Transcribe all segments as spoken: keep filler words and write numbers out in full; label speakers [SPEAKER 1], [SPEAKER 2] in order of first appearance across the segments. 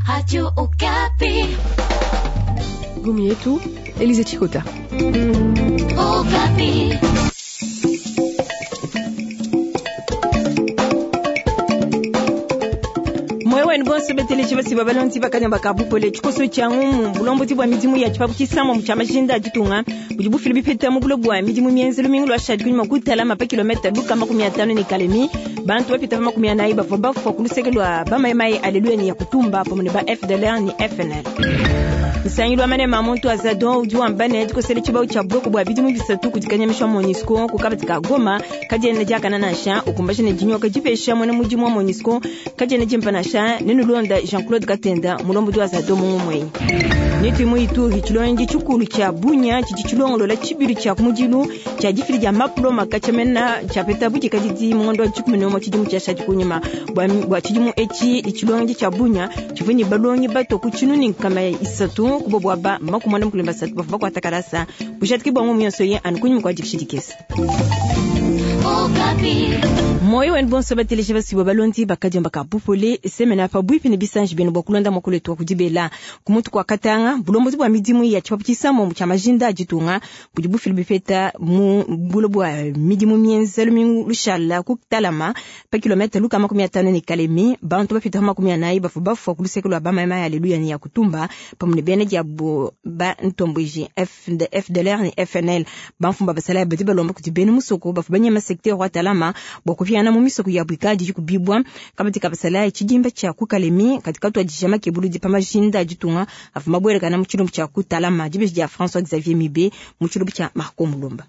[SPEAKER 1] Radio Okapi.
[SPEAKER 2] Gomi yetu Elize Chikota.
[SPEAKER 1] Okapi.
[SPEAKER 3] Moyo bonso beteleji basi babalonzi bakanya bakabupole tshikoso tshia ngumu bulombodi bua midimu ya tshipapu tshisamba tshia majinda ditunga budi bufila bipeta mu bulo bua midimu mienzelu mingi lwa shadi kunyuma kutalama pa kilomita luka makumi atano ne kalemi bantu bapita pa makumi anayi bavua bafua ku luseke lua bamayimayi aleluya ne ya kutumba pamue ne ba F D L R ne F N L. Nsangilu wa manema muntu azadon udi wamba ne dikosela tshibawu tshia buloko bua bidimu bisatu kudi kanyamisha MONUSCO ku kabadi ka Goma kadiena diakana nansha ukumbaja ne dinyoka dipesha muena mudimu wa MONUSCO kadiena dimpa nansha nenulonda Jean-Claude Katenda mulombodi wa Azadon mungumwenyi. Netimu Ituri tshilongi tshikulu tshia Bunya tshidi tshilongolola tshibilu tshia kumudilu tshia difili dia mapuloma katshiamena tshiapeta budikadidi mu ngondo wa dikumi ne umue tshidimu tshiashadi kunyima. Bua tshidimu etshi tshilongi tshia Bunya tshivua ne balongi bato ku tshinunu nkama isatu kubo bua ba makumi muanda mukulu ne basatu bavua bakuata kalasa bujadiki bua ngumu yonso ye anu kunyima kua dikisha dikese.
[SPEAKER 1] Okapi.
[SPEAKER 3] Moyo wenu bonso bateleji basibo balondi bakadiomba ka bupole semena pa bwipi ne bisanji benu bua kulonda mokolo etu wa kudibela kumutu kwa Katanga. Bulombozi bua midimu ya tshipapu tshisambo tshia majinda a ditunga budi bufila bipeta mu bulo bua midimu mienzelu mingu lushala ku Talama pa kilomita luka makumi atano ne Kalemi bantu bapita pa makumi anayi bavua bafua ku luseke lua bamayimayi aleluya ne ya kutumba pamue ne bena diabo ba ntomboji F D L R ne F N L. Bamfumu basalayi badi balomba kudi bena musoko bavua banyema secteur wa Talama bua kupiana mu misoko ya bwikadi dikubibwa kabadi kabasalayi tshidimba tshia ku Kalemi katika tuadija makebuludi pa majinda a ditunga avua mabuelekana mu tshilumbu tshia ku Talama. Dibeji dia François Xavier Mibe mu tshilumbu tshia Marco Mulumba.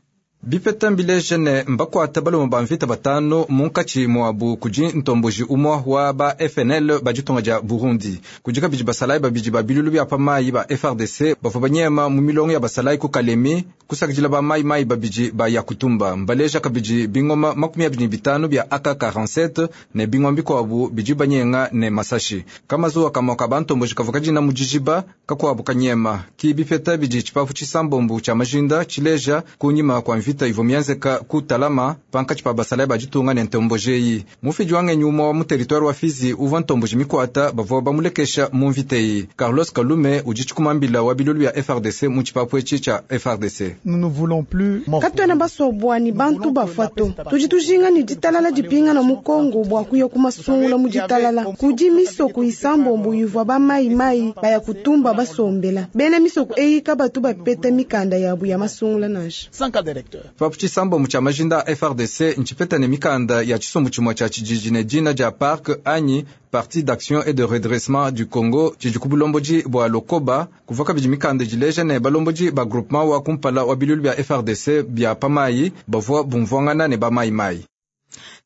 [SPEAKER 4] Bipeta mbileje ne mbakuata balume ba mvita batanu munkatshi muabu kudi ntomboji umue wa ba F N L ba ditunga dia Burundi. Kudi kabidi basalayi babidi ba bilulu bia pa mayi ba F A R D C bavua banyema mu milongo ya basalayi ku Kalemi kusakidila ba mayi mayi babidi ba Yakutumba. Mbaleja kabidi bingoma makumi abidi ne bitanu bia A K quarante-sept ne bingoma bikuabu bidi banyenga ne masashi. Kamazuwa kamue ka bantomboji kavua kadina mu dijiba kakuabu kanyema. Ki bipeta bidi tshipapu tshisambombo tshia majinda tshileja kunyima kua mvita ivua mienzeka ku Talama pankatshi pa basalayi ba ditunga ne ntomboji eyi. Mufidi wa ngenyi umue wa mu territoire wa Fizi uvua ntomboji mikuata bavua bamulekesha mu mvita eyi. Carlos Kalume udi tshikumambila wa bilulu bia F A R D C mu tshipapu etshi tshia F A R D C.
[SPEAKER 5] Nous ne voulons plus mort.
[SPEAKER 6] Katwena basobwa ni bantu bafwa to tudi tujinga ni ditalala dipingana mu Kongo bua kuya kumasungula mu ditalala. Kudi misoko isambombo ivua bamayimayi baya kutumba basombela. Bena misoko eyi kabatu bapeta mikanda yabu ya masungula nansha.
[SPEAKER 5] Sans carte d'électeur.
[SPEAKER 4] Tshipapu tshisambombo tshia majinda a F A R D C ntshipeta ne mikanda ya tshisumbu tshimue tshia tshididi ne dina dia PARC anyi Parti d'action et de redressement du Congo tshidi ku bulombodi bua Lokoba. Kuvua kabidi mikanda dileja ne balombodi ba groupement wa kumpala wa bilulu bia F A R D C bia pamayi bavua bumvuangana ne bamayimayi.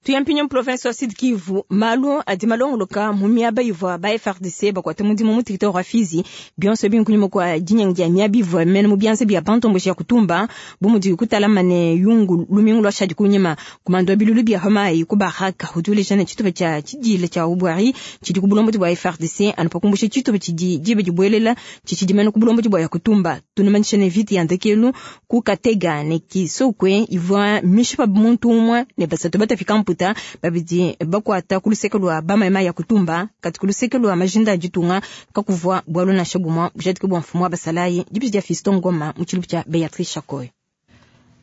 [SPEAKER 3] Tuyampinya mu province wa Sud Kivu malu adi malongoloka mu miaba ivua ba F A R D C bakuata mudimu mu territoire wa Fizi bionso binkunyuma kua dinyangi dia miaba ivua mene mu bianza bia bantomboji ya kutumba bu mudi kutalama ne yungu lumingu lua shadi kunyima. Kumando wa bilulu bia hamayi ku Baraka udi uleja ne tshitupa tshia tshidila tshia Ubwari tshidi ku bulombodi bua F A R D C anu pakumbusha tshitupa tshidi diba dibuelela tshitshidi mene ku bulombodi bua ya kutumba. Tunumanyisha ne vita ya ndekelu ku Katega ne Kisokwe ivua mishipa muntu umue ne basatu batafika mputa babidi bakuata ku luseke lua bamayimayi ya kutumba kati ku luseke lua majinda a ditunga kakuvua bualu nansha bumue bujadiki bua mfumu wa basalayi. Dibidi dia Fiston Ngoma mu tshilubu tshia Beatrice Chakoy.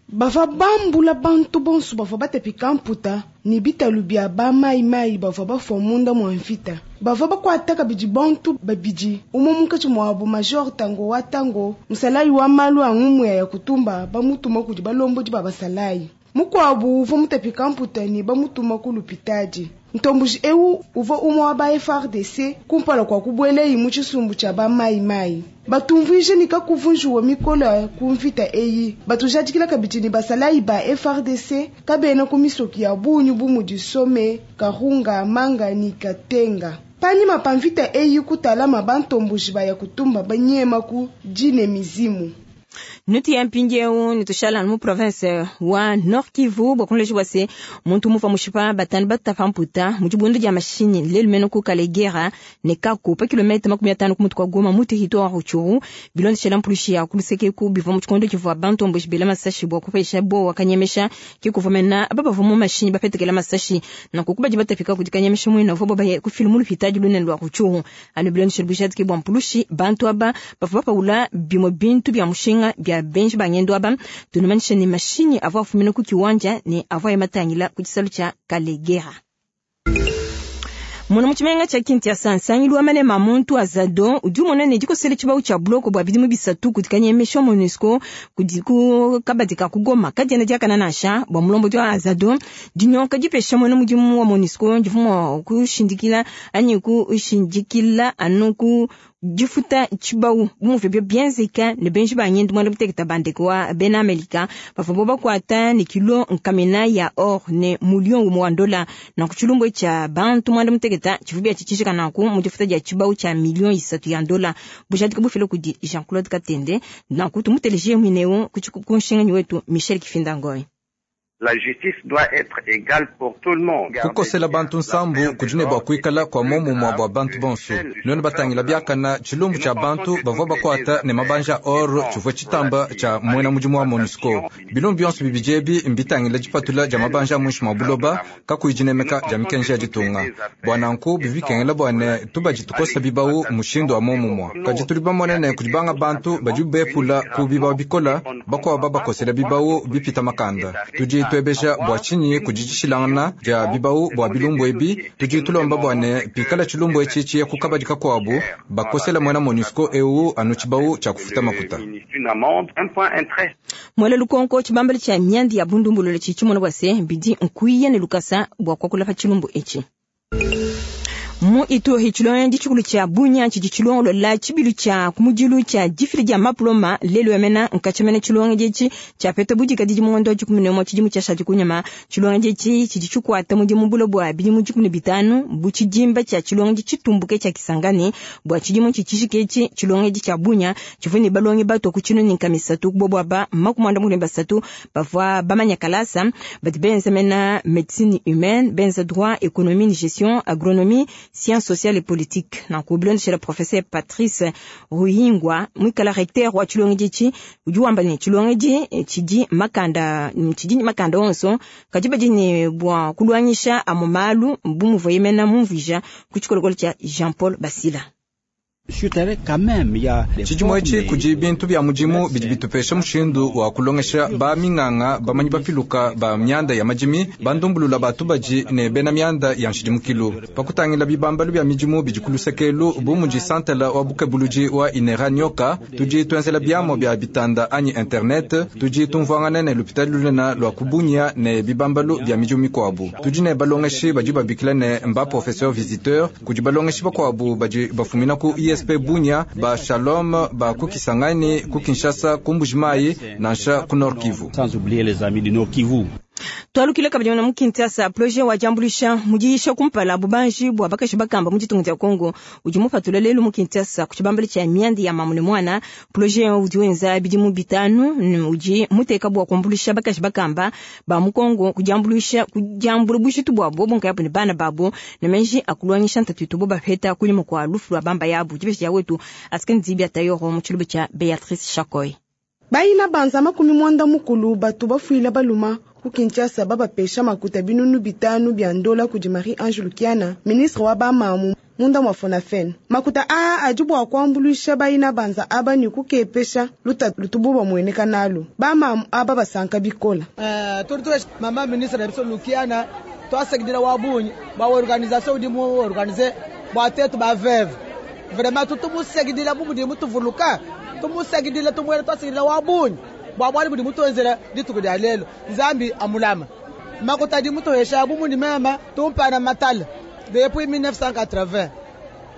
[SPEAKER 6] Bavua bambula bantu bonso bavua batapika mputa ne bitalu bia bamayimayi bavua bafua munda mua mvita. Bavua bakuata kabidi bantu babidi, umue munkatshi muabu major Tango wa Tango, musalayi wa malu a ngumu ya kutumba, bamutuma kudi balombodi ba basalayi. Mukuabu uvua mutapika mputa ne bamutuma ku lupitadi. Ntomboji ewu uvua umue wa ba F A R D C kumpala kua kubuelayi mu tshisumbu tshia bamayimayi. Batumvuije ne kakuvunjiwa mikolo ku mvita eyi. Batujadikila kabidi ne basalayi ba F A R D C kabena ku misoki ya bungi bu mudi Some, Karunga, Manga ne Katenga. Panyima pa mvita eyi kutalama bantomboji baya kutumba banyema ku dine mizimu.
[SPEAKER 3] Nutu ya mpindieu nitushala mu province wa Nord Kivu bua kunleja bua se muntu muva mushipa batanu batapa mputa mu dibundu dia mashinyi lelu mene ku Kalegera ne Kako pa kilomètre makumi atanu ku mutu kwa Goma mu territoire Rutshuru bilondeshela mpulushi ya kuluseke ku bivua mu tshikondo tshivua bantomboshi bela masashi bua kupesha bowa kanyemesha ke kuvua mena aba bavua mu mashinyi bapetekela masashi nanku kubadi batapika kudi kanyemesha muina uvua babaye kufila mu lupitadi lunene lua Rutshuru anu bilondeshela bujadiki bua mpulushi bantu aba bavua bapaula bimue bintu bia mushinga bia benji bangendo aba tunumanyisha ne mashinyi avua afumina ku kiwanja ne avua yamatangila ku tshisalu tshia Kalegera. Muna mutshimenga tshia Kinshasa nsangilu wa manema muntu azado udi umona ne dikosela tshibawu tshia buloko bua bidimu bisatu kudi kanyemesha MONUSCO kudi ku kabadi ka kugoma kadiena diakana nansha bua mulombodi wa azado dinyoka dipesha muena mudimu wa MONUSCO divua mua kushindikila anyi kushindikila anu ku difuta tshibawu bumuvua bio bienzeka ne benji ba nyindu mwanda muteketa bandeko wa bena Amerika bavua bo bakuata ne kilo nkamina ya or ne muliyoni umue wa ndola na ku tshilumbu tshia bantu mwanda muteketa tshivua bia tshitshishika nanku mu difuta dia tshibawu tshia miliyoni isatu ya ndola bujadiki bufila kudi Jean-Claude Katende nanku tumuteleje mwineu ku nshinganyi wetu Michel Kifinda Ngoy.
[SPEAKER 5] La justice doit être égale pour tout le monde.
[SPEAKER 4] Kukosela bantu nsambu kudi ne bua kuikala kua momumua bua bantu bonso nuenu batangila biakana tshilumbu tshia bantu bavua bakuata ne mabanja or tshivua tshitamba tshia muena mudimu wa MONUSCO bilumbu bionso bibidi ebi mbitangila dipatula dia mabanja muinshi mua buloba kakuyi dinemeka dia mikenji ya ditunga bua nanku bivi bikengela bua ne tubadi tukosa bibawu mushindu wa momumua kadi tudi bamone ne kudi banga bantu badi bepula ku bibawu bikola bakuabu babakosela bibawu bipita makanda tudi tuebesha bua tshinyi kudi dishilangana dia bibawu bua bilumbu ebi tudi tulomba bua ne pikala tshilumbu etshi tshiye ku kabadi kakuabu bakosela muena MONUSCO eu anu tshibawu tshia kufuta makuta.
[SPEAKER 3] Mwele lukonko tshibambali tshia myandi ya bundumbulule tshitshimona bua se bidi nkuiya ne lukasa bua kuakula pa tshilumbu etshi. Mu Ituri tshilongo tshikulu tshia Bunia tshidi tshilongolola tshibilu tshia kumudilu tshia difila dia maploma lelu yamena nkatshimene tshilongo etshi tshia peta budikadidi mu ngondo wa dikumi ne umue tshidimu tshiashadi kunyima. Tshilongo etshi tshidi tshikuata mudimu bulo bua bidimu dikumi ne bitanu bu tshidimba tshia tshilongo tshitumbuke tshia Kisangani bua tshidimu tshitshishike etshi tshilongo tshia Bunia tshivua ne balongi bato ku tshinu ne nkamisatu kubobwa ba makumi anda mukulu ne basatu bavua bamanya kalasa badi benza mena médecine humaine benza droit économie gestion agronomie sciences sociales et politiques. Nanku bilondeshela professeur Patrice Ruhingwa mwikala recteur wa tshilongo etshi udi wamba ne tshilongo tshidi makanda tshidi makanda onso kadi badi ne bua kulwangisha amu malu bu muvua yemena mumvuija ku tshikolokolo tshia Jean-Paul Basila.
[SPEAKER 4] Tshidimu etshi kudi bintu bia mudimu bidi bitupesha mushindu wa kulongesha ba minganga bamanyi bapiluka ba mianda ya madimi bandumbulula batu badi ne bena mianda ya nshidimukilu pakutangila bibambalu bia midimu bidi kulusekelu bu mudi santala wa bukebuluji wa inera nyoka tudi tuenzela biamo bia bitanda anyi internet tudi tumvuangana ne lupitali lunene lua kubunya ne bibambalu bia midimu mikuabu tudi ne balongeshi badi babikila ne mba professeur visiteur kudi balongeshi bakuabu badi bafumina ku I S P Bunia ba Shalom ba ku Kisangani ku Kinshasa ku Mbujimayi nansha ku Nord Kivu.
[SPEAKER 7] Sans oublier les amis du Nord Kivu.
[SPEAKER 3] Twalukile kabidi na mu Kinshasa projet wa jambulisha mudiisha kumpala bubanji bua bakashi bakamba mu ditunga dia Kongo udi mupatula lelu mu Kinshasa ku tshibambali tshia miandi ya mamu ne mwana. Projet udi wenza bidimu bitanu udi muteka bua kuambulisha bakashi bakamba ba mu Kongo kujambulisha kujambula bushitu bua bobo nkayabu ne bana babo ne menji akulwangisha ntatu bo bapeta kulima kwa lufu lwa bamba yabu dibesha ya wetu askenzi bia tayoro mu tshiluba tshia Beatrice Chakoy.
[SPEAKER 6] Bayina banza makumi mwanda mukulu batu bafuila baluma ku Kinshasa babapesha makuta binunu bitanu bia ndola kudi Marie Ange Lukiana ministre wa bamamu munda mwa Fonafen. Makuta aa adi bua kuambuluisha bayina banza aba ni kukepesha luta lutubu bamueneka nalu bamamu aba basanka bikola.
[SPEAKER 8] Uh, turi mama ministre Lukiana twasekidila wa bunyi ba organisation udi mu organiser bua tetu ba veuve vraiment tutumusekidila bu mudi mutuvuluka tumusekidila tumwele twasekidila wa bunyi bua bwali budi mutuenzela dituku dia lelo Nzambi amulama makuta di mutuhesha bu mudi mema tumpana matala depuis mille neuf cent quatre-vingts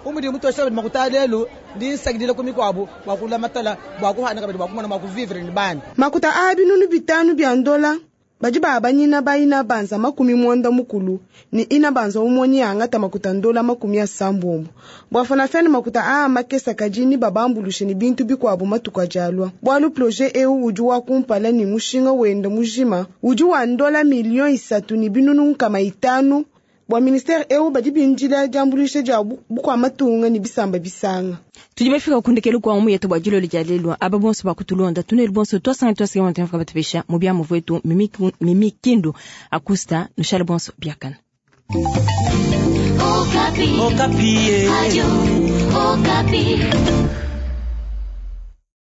[SPEAKER 8] umudi mutuhesha makuta lelo ndi nsekidila kumikwabu bua kula matala bua kuhana kabidi bua kumona bua kuvivre ni bana
[SPEAKER 6] makuta a binunu bitanu bia ndola Badi baabanyina ba inabanza makumi mwanda mukulu ne inabanza umue neangate makuta ndola makumi asambombo. Bua FONAFEN makuta aa makese kadi nebabambulushe ne bintu bikuabu matuku adi alua. Bualu projet eu udi wa kumpala ne mushinga wenda mujima udi wa ndola million isatu ne binunu nkama itanu. Bua ministere eu badi bindila diambuluisha dia bukua matunga ne bisamba bisanga.
[SPEAKER 3] Tudi bafika kundekelu kwa umu yetu bua dilolo dia lelu. Aba bonso bakutulonda tunelu bonso twasanga twasanga mwantu batupesha mu bia muvwetu mimi kindu akusta nushale bonso biakana.
[SPEAKER 1] Okapi. Okapi. Radio Okapi.